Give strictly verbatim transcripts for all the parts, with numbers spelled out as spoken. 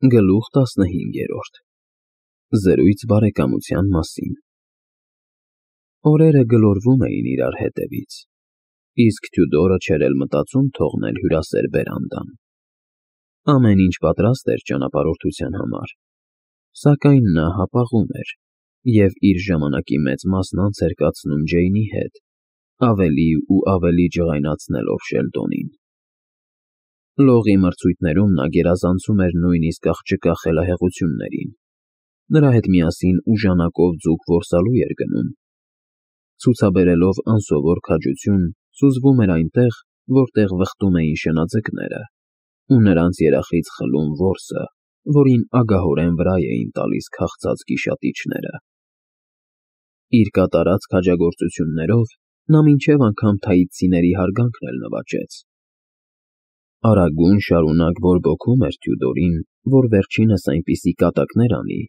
Գլուխ տասնհինգերորդ Զրույց բարեկամության մասին Օրերը գլորվում էին իրար հետևից, իսկ Թյուդորը չէր էլ մտածում թողնել հյուրասեր բերանդան. ամեն ինչ պատրաստ էր ճանապարհորդության համար, սակայն նա հապաղում էր և իր ժամանակի մեծ մասն անց էր կացնում Ջեյնի հետ, ավելի ու ավելի ջղայնացնելով Շելդոնին։ Լողի մրցույթներում նա գերազանցում էր նույնիսկ աղջկա խելահեղություններին, նրա հետ միասին ուժանակով ձուկ որսալու էր գնում, ցուցաբերելով անսովոր քաջություն, սուզվում էր այնտեղ, որտեղ վխտում էին շնաձկները, ու նրանց երախից խլում որսը, որին ագահորեն վրա էին տալիս քաղցած գիշատիչները։ Իր կատարած քաջագործություններով նա մինչև անգամ թաիցցիների հարգանքն էլ նվաճեց։ Արագուն շարունակ բորբոքում էր Թյուդորին, որ վերջինս այնպիսի կատակներ անի,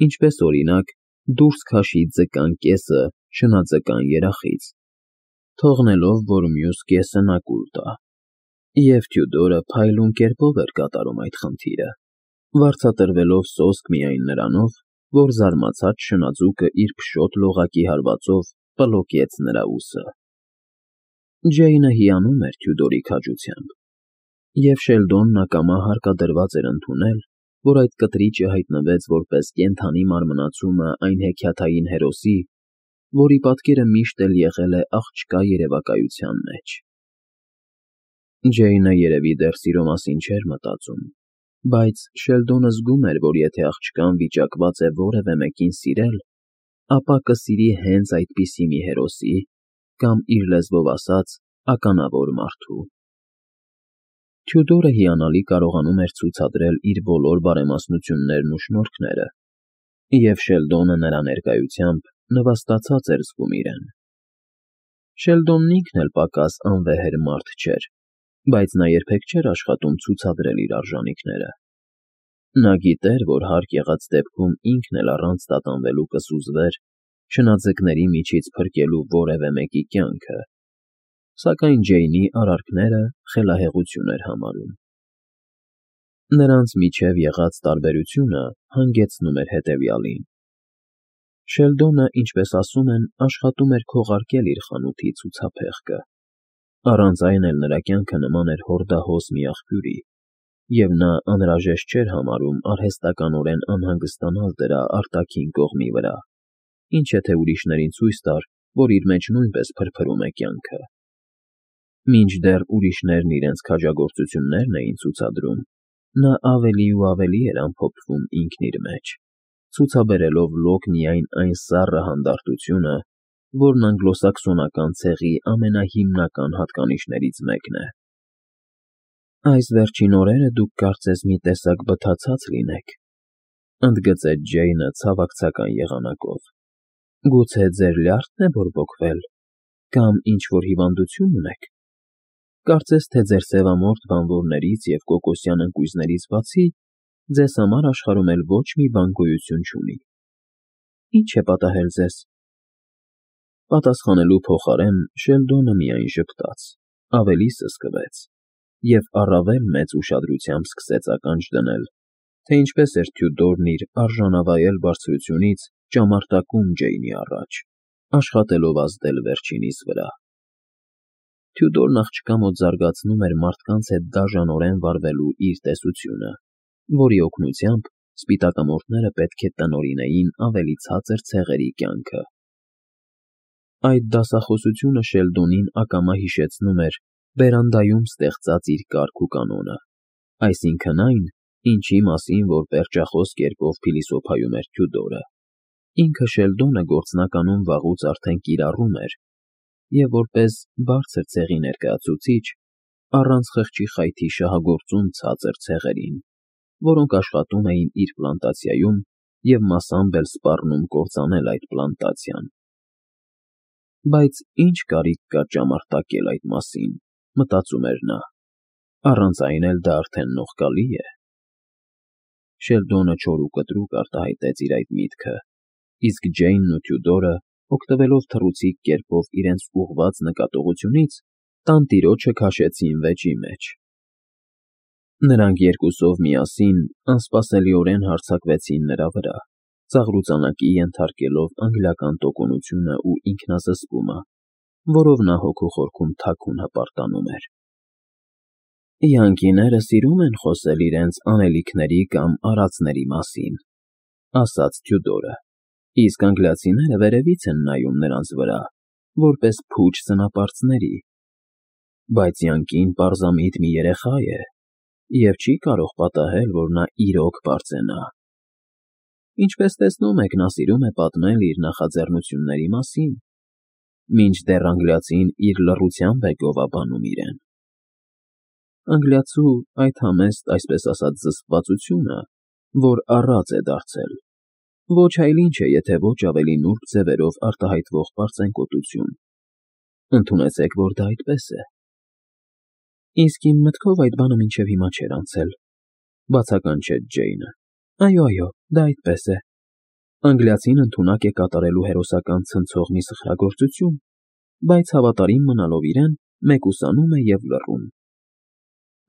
ինչպես օրինակ դուրս քաշի ձկան կեսը շնաձկան երախից, թողնելով, որ մյուս կեսը նա կուլ տա, և Թյուդորը փայլուն կերպով էր կատարում այդ խնդիրը, վարձատրվելով սոսկ միայն նրանով, որ զարմացած շնաձուկը իր փշոտ լողակի հարվածով պլոկեց նրա ուսը։ Ջեյնը հիանում էր Թյուդորի քաջությամբ, և Շելդոնն ակամա հարկադրված էր ընդունել, որ այդ կտրիճը հայտնվեց որպես կենդանի մարմնացումը այն հեքիաթային հերոսի, որի պատկերը միշտ էլ եղել է աղջկա երևակայության մեջ։ Ջեյնը երևի դեռ սիրո մասին չէր մտածում, բայց Շելդոնը զգում էր, որ եթե աղջկան վիճակված է որևէ մեկին սիրել, ապա կսիրի հենց այդպիսի մի հերոսի կամ, իր լեզվով ասած, ականավոր մարդու։ Թյուդորը հիանալի կարողանում էր ցուցադրել իր բոլոր բարեմաստնություններն ու շնորհքները, և Շելդոնը նրա ներկայությամբ նվաստացած էր զգում իրեն։ Շելդոնն ինքն էլ պակաս անվեհեր մարդ չէր, բայց նա երբեք չէր աշխատում ցուցադրել իր արժանիքները։ Նա գիտեր, որ հարկ եղած դեպքում ինքն էլ առանց տատանվելու կսուզվեր շնաձկների միջից փրկելու որևէ մեկի կյանքը, սակայն Ջեյնի արարքները խելահեղություն էր համարում։ Նրանց միջև եղած տարբերությունը հանգեցնում էր հետևյալին. Շելդոնը, ինչպես ասում են, աշխատում էր քողարկել իր խանութի ցուցափեղկը, առանց այն էլ նրա կյանքը նման էր հորդահոս մի աղբյուրի, և նա անհրաժեշտ չէր համարում արհեստականորեն անհանգստանալ դրա արտաքին կողմի վրա, ինչը թե ուրիշներին ցույց տար, որ իր մեջ նույնպես փրփրում է կյանքը։ Մինչդեռ ուրիշներն իրենց քաջագործություններն էին ցուցադրում, նա ավելի ու ավելի էր ամփոփվում ինքն իր մեջ, ցուցաբերելով լոկ միայն այն սառը հանդարտությունը, որն անգլոսաքսոնական ցեղի ամենահիմնական հատկանիշներից մեկն է։ Այս վերջին օրերը դուք կարծես մի տեսակ բթացած լինեք, ընդգծեց Ջեյնը ցավակցական եղանակով։ Գուցե ձեր լյարդն է բորբոքվել, կամ ինչ-որ հիվանդություն ունեք։ Կարծես թե ձեր սևամորթ բանվորներից և կոկոսյան ընկույզներից բացի ձեզ համար աշխարհում էլ ոչ մի բան գոյություն չունի։ Ի՞նչ է պատահել ձեզ։ Պատասխանելու փոխարեն Շելդոնը միայն ժպտաց, ավելի սսկվեց և առավել մեծ ուշադրությամբ սկսեց ականջ դնել, թե ինչպես էր Թյուդորն իր արժանավայել բարձրությունից ճամարտակում Ջեյնի առաջ, աշխատելով ազդել վերջինիս վրա։ Թյուդորն աղջկա մոտ զարգացնում էր մարդկանց հետ դաժանորեն վարվելու իր տեսությունը, որի օգնությամբ սպիտակամորթները պետք է տնօրինեին ավելի ցածր ցեղերի կյանքը։ Այդ դասախոսությունը Շելդոնին ակամա հիշեցնում էր բերանդայում ստեղծած իր կարգ ու կանոնը, այսինքն այն, ինչի մասին որ պերճախոս կերպով փիլիսոփայում էր Թյուդորը, ինքը Շելդոնը գործնականում վաղուց արդեն կիրառում էր և որպես բարձր ցեղի ներկայացուցիչ առանց խղճի խայթի շահագործում ցածր ցեղերին, որոնք աշխատում էին իր պլանտացիայում և մասամբ էլ սպառնում կործանել այդ պլանտացիան։ Բայց ի՞նչ կարիք կա ճամարտակել այդ մասին, մտածում էր նա, առանց այն էլ դա արդեն նողկալի է։ Շելդոնը չոր ու կտրուկ արտահայտեց իր այդ միտքը, իսկ Ջեյնն ու Թյուդորը, օգտվելով թռուցիկ կերպով իրենց ուղղված նկատողությունից, տանտիրոջը քաշեցին վեճի մեջ։ Նրանք երկուսով միասին անսպասելիորեն հարձակվեցին նրա վրա, ծաղրուծանակի ենթարկելով անգլիական տոկունությունը ու ինքնազսպումը, որով նա հոգու խորքում թաքուն հպարտանում էր։ «Յանկիները սիրում են խոսել իրենց անելիքների կամ արածների մասին», ասաց Թյուդորը, իսկ անգլիացիները վերևից են նայում նրանց վրա, որպես փուչ սնապարծների։ Բայց յանկին պարզամիտ մի երեխա է և չի կարող պատահել, որ նա իրոք պարծենա։ Ինչպես տեսնում եք, նա սիրում է պատմել իր նախաձեռնությունների մասին, մինչդեռ անգլիացին իր լռությամբ է գովաբանում իրեն։ Անգլիացու այդ համեստ, այսպես ասած, զսպվածությունը, որ առած է դարձել, ոչ այլ ինչ է, եթե ոչ ավելի նուրբ ձևերով արտահայտվող պարծենկոտություն։ Ընդունեցեք, որ դա այդպես է։ Իսկ իմ մտքով այդ բանը մինչև հիմա չէր անցել, բացականչեց Ջեյնը։ Այո, այո, դա այդպես է։ Անգլիացին ընդունակ է կատարելու հերոսական ցնցող մի սխրագործություն, բայց հավատարիմ մնալով իրեն, մեկուսանում է և լռում։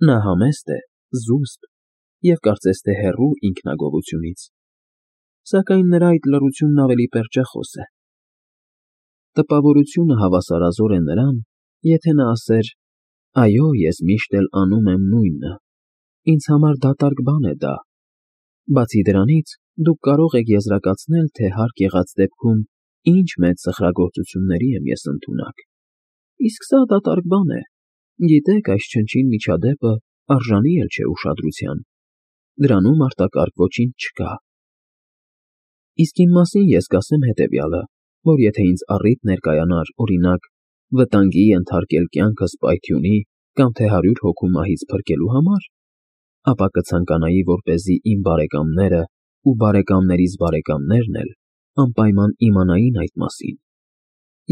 Նա համեստ է, զուսպ և կարծես թե հեռու ինքնագովությունից, սակայն նրա այդ լռությունն ավելի պերճախոս է։ Տպավորությունը հավասարազոր է նրան, եթե նա ասեր. «Այո, ես միշտ էլ անում եմ նույնը, ինձ համար դատարկ բան է դա։ Բացի դրանից, դուք կարող եք եզրակացնել, թե հարկ եղած դեպքում ինչ մեծ սխրագործությունների եմ ես ընդունակ։ Իսկ սա դատարկ բան է։ Գիտեք, այս չնչին միջադեպը արժանի էլ չէ ուշադրության։ Դրանում արտակարգ ոչինչ չկա։ Իսկ իմ մասին ես կասեմ հետևյալը, որ եթե ինձ առիթ ներկայանար, օրինակ, վտանգի ենթարկել կյանքս պայթյունի կամ թե հարյուր հոգու մահից փրկելու համար, ապա կցանկանայի, որպեսզի իմ բարեկամները ու բարեկամներիս բարեկամներն էլ անպայման իմանային այդ մասին,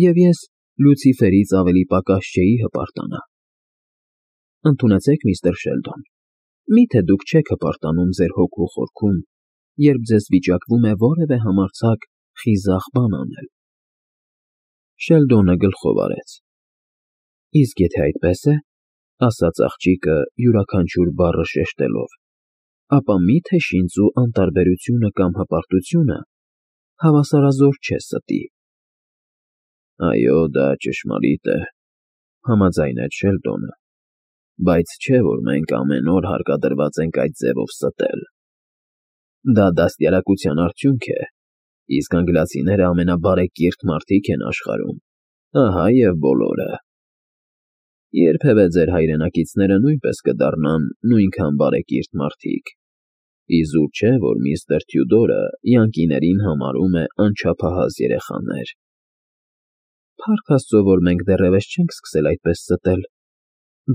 և ես Լյուցիֆերից ավելի պակաս չէի հպարտանա։ Ընդունեցեք, միստր Շելդոն, մի՞թե դուք չեք հպարտանում ձեր հոգու խորքում, երբ ձեզ վիճակվում է որևէ համարձակ խիզախ բան անել։ Շելդոնը գլխով արեց։ Իսկ եթե այդպես է, ասաց աղջիկը յուրաքանչյուր բառը շեշտելով, ապա մի՞թե շինծու անտարբերությունը կամ հպարտությունը հավասարազոր չէ ստի։ Այո, դա ճշմարիտ է, համաձայնեց Շելդոնը, բայց չէ, որ մենք ամեն օր հարկադրված ենք այդ ձևով ստել։ Դա դաստիարակության արդյունք է, իսկ անգլիացիները ամենաբարեկիրթ մարդիկ են աշխարհում, ահա և բոլորը։ Երբևէ ձեր հայրենակիցները նույնպես կդառնան նույնքան բարեկիրթ մարդիկ։ Իզուր չէ, որ միստր Թյուդորը յանկիներին համարում է անչափահաս երեխաներ։ Փառք Աստծո, որ մենք դեռևս չենք սկսել այդպես ստել,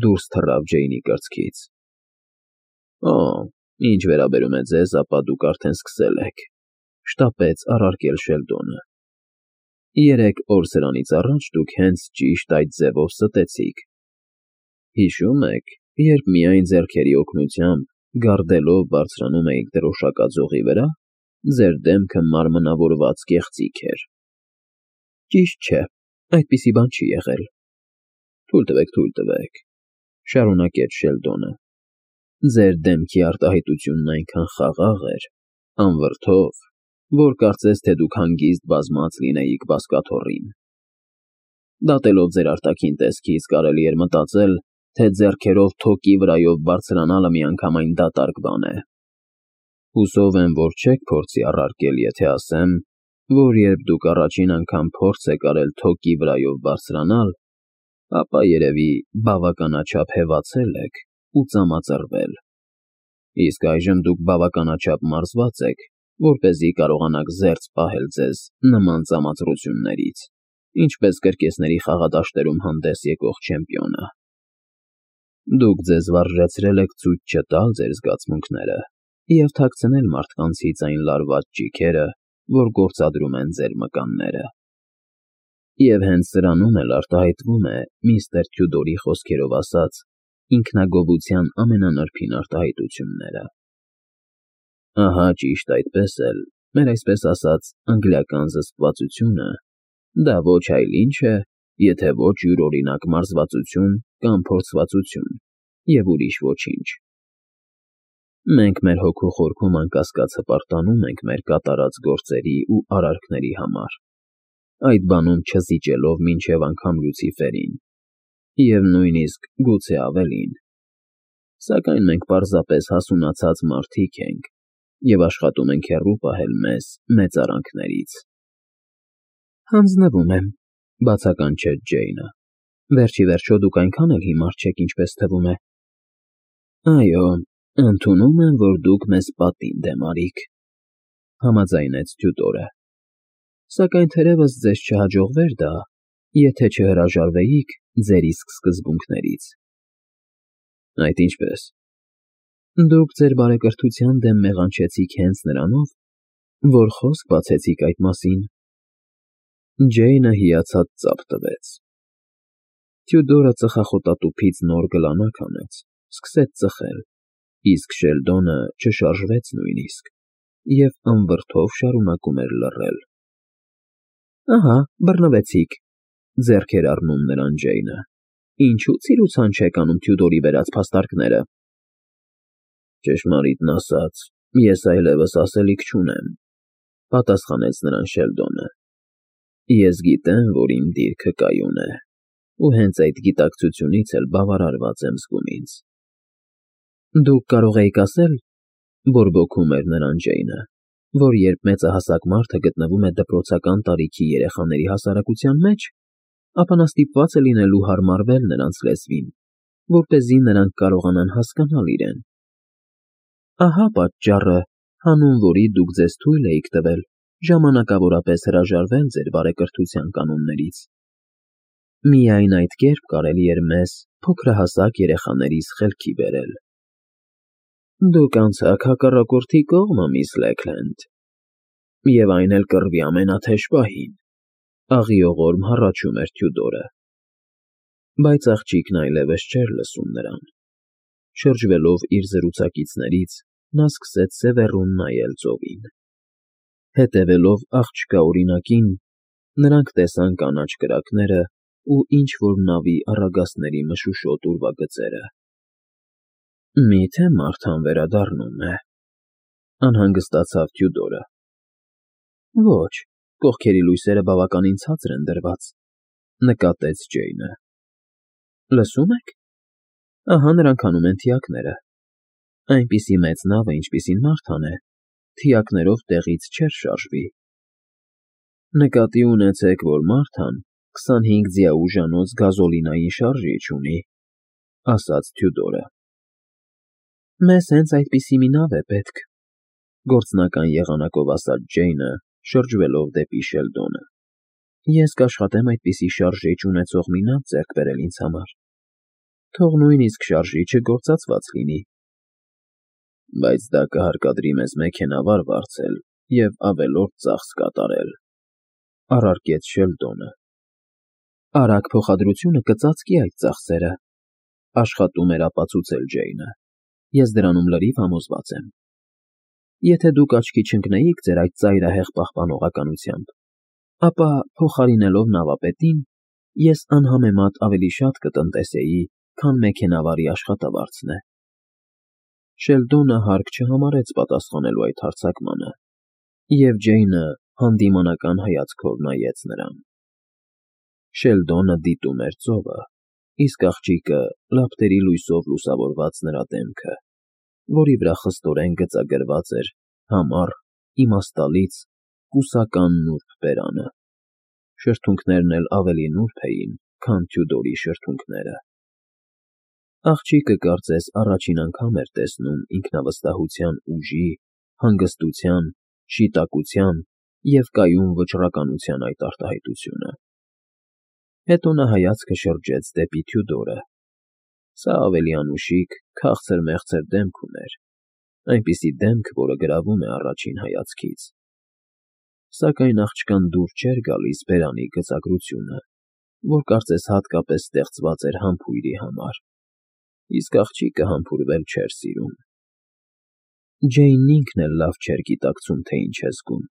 դուրս թռավ Ջեյնի կրծքից։ Օ, ինչ վերաբերում է ձեզ, ապա դուք արդեն սկսել եք, շտապեց առարկել Շելդոնը։ Երեք օր սրանից առաջ դուք հենց ճիշտ այդ ձևով ստեցիք։ Հիշո՞ւմ եք, երբ միայն ձեռքերի օգնությամբ, գարդելով բարձրանում էիք դրոշակաձողի վրա, ձեր դեմքը մարմնավորված կեղծիք էր։ Ճիշտ չէ, այդպիսի բան չի եղել։ Թույլ տվեք, թույլ տվեք, շարունակեց Շելդոնը։ Ձեր դեմքի արտահայտությունն այնքան խաղաղ էր, անվրդով, որ կարծես թե դուք հանգիստ բազմած լինեիք բազկաթոռին։ Դատելով ձեր արտաքին տեսքից կարելի էր մտածել, թե ձեռքերով թոկի վրայով բարձրանալը միանգամայն դատարկ բան է։ Հուսով եմ, որ չեք փորձի առարկել, եթե ասեմ, որ երբ դուք առաջին անգամ փորձ եք արել թոկի վրայով բարձրանալ, ապա երևի բավականաչափ հևացել եք ու ծամածռվել։ Իսկ այժմ դուք բավականաչափ մարզված եք, որպեսզի կարողանաք զերծ պահել ձեզ նման ծամածռություններից, ինչպես կրկեսների խաղադաշտերում հանդես եկող չեմպիոնը։ Դուք ձեզ վարժեցրել եք ցույց չտալ ձեր զգացմունքները և թաքցնել մարդկանցից այն լարված ճիգերը, որ գործադրում են ձեր մկանները։ Եվ հենց սրանում էլ արտահայտվում է միստր Թյուդորի խոսքերով ասած ինքնագովության ամենանրբին արտահայտությունները։ Ահա ճիշտ այդպես էլ, մեր այսպես ասած անգլիական զսպվածությունը, դա ոչ այլ ինչ է, եթե ոչ յուրօրինակ մարզվածություն կամ փորձվածություն և ուրիշ ոչինչ։ Մենք մեր հոգու խորքում անկասկած հպարտանում ենք մեր կատարած գործերի ու արարքների համար, այդ բանում չզիջելով մինչև անգամ Լյուցիֆերին, և նույնիսկ գուցե ավելին, սակայն մենք պարզապես հասունացած մարդիկ ենք և աշխատում ենք հեռու պահել մեզ մեծարանքներից։ ֊ Հանձնվում եմ,֊ բացականչեց Ջեյնը,֊ վերջ ի վերջո դուք այնքան էլ հիմար չեք, ինչպես թվում է։ ֊ Այո, ընդունում եմ, որ դուք մեզ պատիվ դեմարիք,֊ համաձայնեց Թյուդորը,֊ սակայն թերևս ձեզ չհաջողվեր դա, եթե չհրաժարվեիք ձեր իսկ սկզբունքներից։ ֊ Այդ ինչպե՞ս։ ֊ Դուք ձեր բարեկրթության դեմ մեղանչեցիք հենց նրանով, որ խոսք բացեցիք այդ մասին։ Ջեյնը հիացած ծափ տվեց։ Թյուդորը ծխախոտատուփից նոր գլանակ հանեց, սկսեց ծխել, իսկ Շելդոնը չշարժվեց նույնիսկ և ըմբրդով շարունակում էր լռել։ ֊ Ահա, բռնվեցիք,֊ ձեռք էր առնում նրան Ջեյնը,֊ ինչու ցիրուցան չեք անում Թյուդորի բերած փաստարկները։ ֊ Ճշմարիտն ասած, ես այլևս ասելիք չունեմ,֊ պատասխանեց նրան Շելդոնը։ Ես գիտեմ, որ իմ դիրքը կայուն է, ու հենց այդ գիտակցությունից էլ բավարարված եմ զգում ինձ։ ֊ Դուք կարող էիք ասել,֊ բորբոքում էր նրան Ջեյնը,֊ որ երբ մեծահասակ մարդը գտնվում է դպրոցական տարիքի երեխաների հասարակության մեջ, ապա նա ստիպված է լինելու հարմարվել նրանց լեզվին, որպեսզի նրանք կարողանան հասկանալ իրեն։ Ահա պատճառը, հանուն որի դուք ձեզ թույլ էիք տվել ժամանակավորապես հրաժարվել ձեր բարեկրթության կանոններից։ Միայն այդ կերպ կարելի էր մեզ, փոքրահասակ երեխաներիս, խելքի բերել։ Դուք անցաք հակառակորդի կողմը, միս Լեքլենդ, և այն էլ կռվի ամենաթեժ պահին,֊ աղիողորմ հառաչում էր Թյուդորը։ Բայց աղջիկն այլևս չէր լսում նրան։ Շրջվելով իր զրուցակիցներից, նա սկսեց սևեռուն նայել ծովին։ Հետևելով աղջկա օրինակին, նրանք տեսան կանաչ կրակները ու ինչ֊որ նավի առագաստների մշուշոտ ուրվագծերը։ Մի՞թե մարդ անվերադառնում է,֊ անհանգստացավ Թյուդորը։ Ոչ, կողքերի լույսերը բավականին ցածր են դրված,֊ նկատեց Ջեյնը։ Լսո՞ւմ եք. ահա նրանք հանում են թիակները։ Այնպիսի մեծ նավը, ինչպիսին Մարթան է, թիակներով տեղից չէր շարժվի։ Նկատի ունեցեք, որ Մարթան քսանհինգ ձիաուժանոց գազոլինային շարժիչ ունի,֊ ասաց Թյուդորը։ Մեզ հենց այդպիսի մի նավ է պետք,֊ գործնական եղանակով ասաց Ջեյնը, շրջվելով դեպի Շելդոնը։ Ես կաշխատեմ այդպիսի շարժիչ ունեցող մի նավ ձեռք բերել ինձ համար, թող նույնիսկ շարժիչը գործածված լինի։ Բայց դա կհարկադրի մեզ մեքենավար վարձել և ավելորդ ծախս կատարել,֊ առարկեց Շելդոնը։ Արագ փոխադրությունը կծածկի այդ ծախսերը,֊ աշխատում էր ապացուցել Ջեյնը։ Ես դրանում լրիվ համոզված եմ։ Եթե դուք աչքի չընկնեիք ձեր այդ ծայրահեղ պահպանողականությամբ, ապա, փոխարինելով նավապետին, ես անհամեմատ ավելի շատ կտնտեսեի, քան մեքենավարի աշխատավարձն է։ Շելդոնը հարկ չհամարեց պատասխանելու այդ հարձակմանը, և Ջեյնը հանդիմանական հայացքով նայեց նրան։ Շելդոնը դիտում էր ծովը, իսկ աղջիկը լապտերի լույսով լուսավորված նրա դեմքը, որի վրա խստորեն գծագրված էր համառ, իմաստալից, կուսական նուրբ բերանը։ Շրթունքներն էլ ավելի նուրբ էին, քան Թյուդորի շրթունքները։ Աղջիկը կարծես առաջին անգամ էր տեսնում ինքնավստահության ուժի, հանգստության, շիտակության և կայուն վճռականության այդ արտահայտությունը։ Հետո նա հայացքը շրջեց դեպի Թյուդորը։ Սա ավելի անուշիկ, քաղցր֊մեղցր դեմք ուներ, այնպիսի դեմք, որը գրավում է առաջին հայացքից։ Սակայն աղջկան դուր չէր գալիս բերանի գծագրությունը, որ կարծես հատկապես ստեղծված էր համբույրի համար, իսկ աղջիկը համբուրվել չէր սիրում։ Ջեյնն ինքն էլ լավ չէր գիտակցում, թե ինչ է զգում։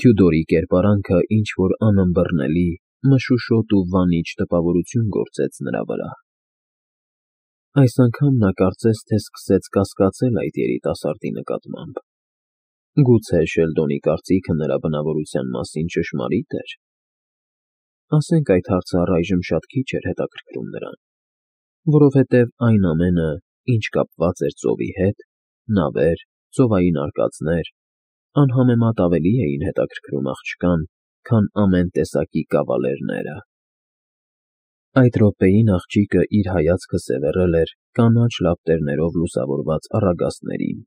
Թյուդորի կերպարանքը ինչ֊որ անըմբռնելի, մշուշոտ ու վանիչ տպավորություն գործեց նրա վրա։ Այս անգամ նա կարծես թե սկսեց կասկածել այդ երիտասարդի նկատմամբ։ Գուցե Շելդոնի կարծիքը նրա բնավորության մասին ճշմարիտ էր։ Ասենք այդ հարցը առայժմ շատ քիչ էր հետաքրքրում նրան, որովհետև այն ամենը, ինչ կապված էր ծովի հետ, նավեր, ծովային արկածներ, անհամեմատ ավելի էին հետաքրքրում աղջկան, քան ամեն տեսակի կավալերները։ Այդ րոպեին աղջիկը իր հայացքը սևեռել էր կանաչ լապտերներով լուսավորված առագաստներին,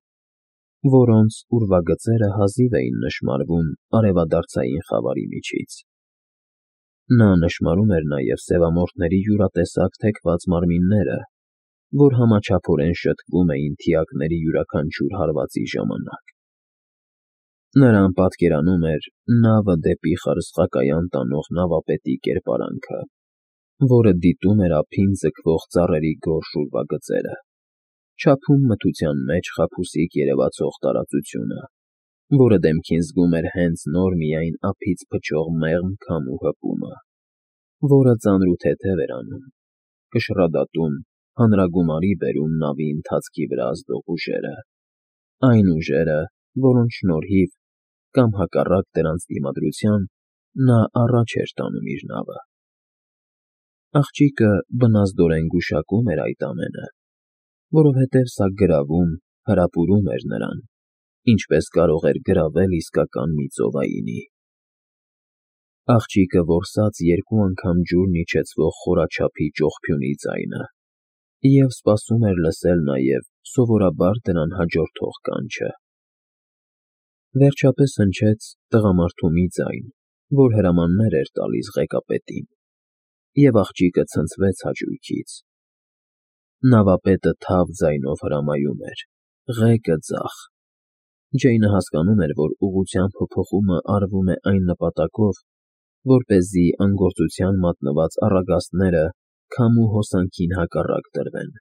որոնց ուրվագծերը հազիվ էին նշմարվում արևադարձային խավարի միջից։ Նա նշմարում էր նաև սևամորթների յուրատեսակ թեքված մարմինները, որ համաչափորեն շտկվում էին թիակների յուրաքանչյուր հարվածի ժամանակ։ Նրան պատկերանում էր նավը դեպի խարսխակայան տանող նավապետի կերպարանքը, որը դիտում էր ափին ձգվող ծառերի գորշ ուրվագծերը, չափում մթության մեջ խաբուսիկ երևացող տարածությունը, որը դեմքին զգում էր հենց նոր միայն ափից փչող մեղմ քամու հպումը, որը ծանրութեթև էր անում, կշռադատում, հանրագումարի բերում նավի ընթացքի վրա ազդող ուժերը, այն ուժերը, որոնց շնորհիվ, կամ հակառակ դրանց դիմադրության, նա առաջ էր տանում իր նավը։ Աղջիկը բնազդորեն գուշակում էր այդ ամենը, որովհետև սա գրավում, հրապուրում էր նրան, ինչպես կարող էր գրավել իսկական մի ծովայինի։ Աղջիկը որսաց երկու անգամ ջուրն իջեցվող խորաչափի ճողփյունի ձայնը և սպասում էր լսել նաև սովորաբար դրան հաջորդող կանչը։ Վերջապես հնչեց տղամարդու մի ձայն, որ հրամաններ էր տալիս ղեկապետին, և աղջիկը ցնցվեց հաճույքից։ Նավապետը թավ ձայնով հրամայում էր. «Ղեկը ձախ»։ Ջեյնը հասկանում էր, որ ուղղության փոփոխումը արվում է այն նպատակով, որպեսզի անգործության մատնված առագաստները քամու հոսանքին հակառակ տրվեն,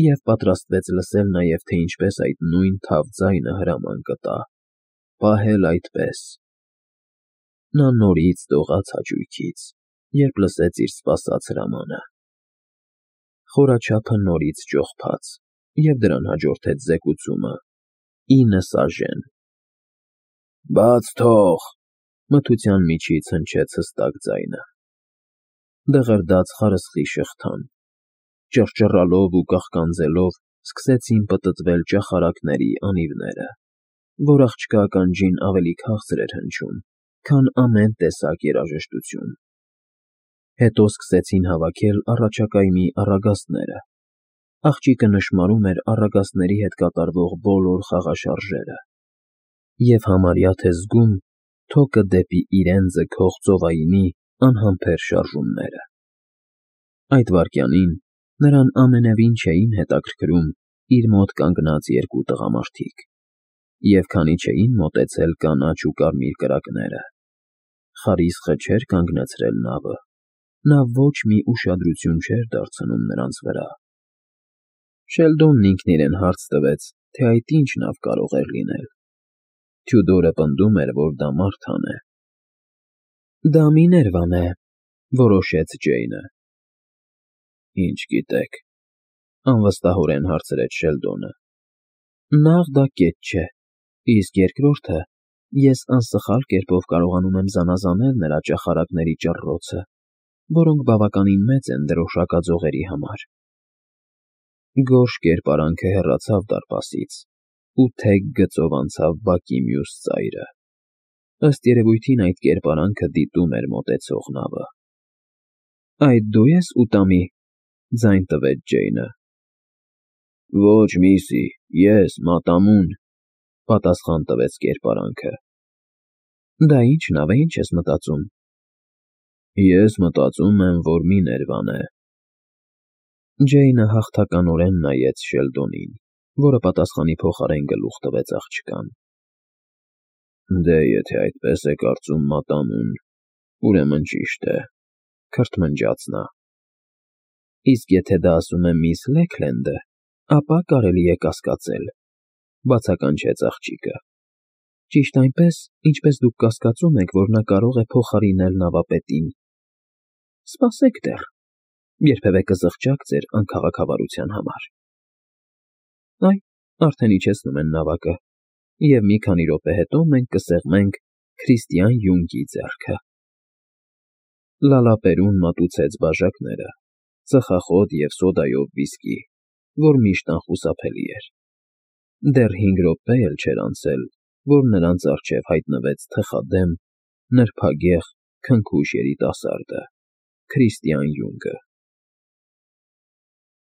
և պատրաստվեց լսել նաև, թե ինչպես այդ նույն թավ ձայնը հրաման կտա. «Պահել այդպես»։ Նա նորից դողաց հաճույքից, երբ լսեց իր սպասած հրամանը։ Խորաչափը նորից ճողփաց, և դրան հաջորդեց զեկուցումը. ինը սաժեն։ «Բաց թող», մթության միջից հնչեց հստակ ձայնը։ Դղրդաց խարսխի շղթան, ճռճռալով ու կաղկանձելով սկսեցին պտտվել ճախարակների անիվները, որ աղջկա ականջին ավելի քաղցր էր հնչում, քան ամեն տեսակ երաժշտություն։ Հետո սկսեցին հավաքել առաջակայմի առագաստները։ Աղջիկը նշմարում էր առագաստների հետ կատարվող բոլոր խաղաշարժերը և համարյա թե զգում թոկը դեպի իրեն ձգող ծովայինի անհամբեր շարժումները։ Այդ վայրկյանին նրան ամենևին չէին հետաքրքրում իր մոտ կանգնած երկու տղամարդիկ, և քանի չէին մոտեցել կանաչ ու կարմիր կրակները, խարիսխը չէր կանգնացրել նավը, նա ոչ մի ուշադրություն չէր դարձնում նրանց վրա։ Շելդոնն ինքն իրեն հարց տվեց, թե այդ ինչ նավ կարող էր լինել։ Թյուդորը պնդում էր, որ դա մարդան է։ «Դա Միներվան է», որոշեց Ջեյնը։ «Ինչ գիտեք», անվստահորեն հարցրեց Շելդոնը։ «Նախ դա կետ չէ, իսկ երկրորդը, ես անսխալ կերպով կարողանում եմ զանազանել նրա ճախարակների ճռռոցը, որոնք բավականին մեծ են դրոշակաձողերի համար»։ Գորշ կերպարանքը հեռացավ դարպասից, ու թեք գծով անցավ բակի մյուս ծայրը։ Ըստ երևույթին այդ կերպարանքը դիտում էր մոտեցող նավը։ «Այդ դու ես, Ուտամի», ձայն տվեց Ջեյնը։ «Ոչ, միսի, ես, Մատամուն», պատասխան տվեց կերպարանքը։ «Դա ի՞նչ նավ է, ինչ ես մտածում»։ «Ես մտածում եմ, որ Միներվան է»։ Ջեյնը հաղթականորեն նայեց Շելդոնին, որը պատասխանի փոխարեն գլուխ տվեց աղջկան։ «Դե, եթե այդպես է կարծում Մատամուն, ուրեմն ճիշտ է», քրթմնջաց նա։ «Իսկ եթե դա ասում է միս Լեքլենդը, ապա կարելի է կասկածել», բացականչեց աղջիկը։ «Ճիշտ այնպես, ինչպես դուք կասկածում եք, որ նա կարող է փոխարինել նավապետին։ Սպասեք դեռ»։ Երբևէ կզղջաք ձեր անքաղաքավարության համար։ Այ, արդեն իջեցնում են նավակը, և մի քանի րոպե հետո մենք կսեղմենք Քրիստիան Յունգի ձեռքը… Լալապերուն մատուցեց բաժակները, ծխախոտ և սոդայով վիսկի, որ միշտ անխուսափելի էր… Դեռ հինգ րոպե էլ չէր անցել, որ նրանց առջև հայտնվեց թխադեմ, նրբագեղ, քնքուշ երիտասարդը՝ Քրիստիան Յունգը։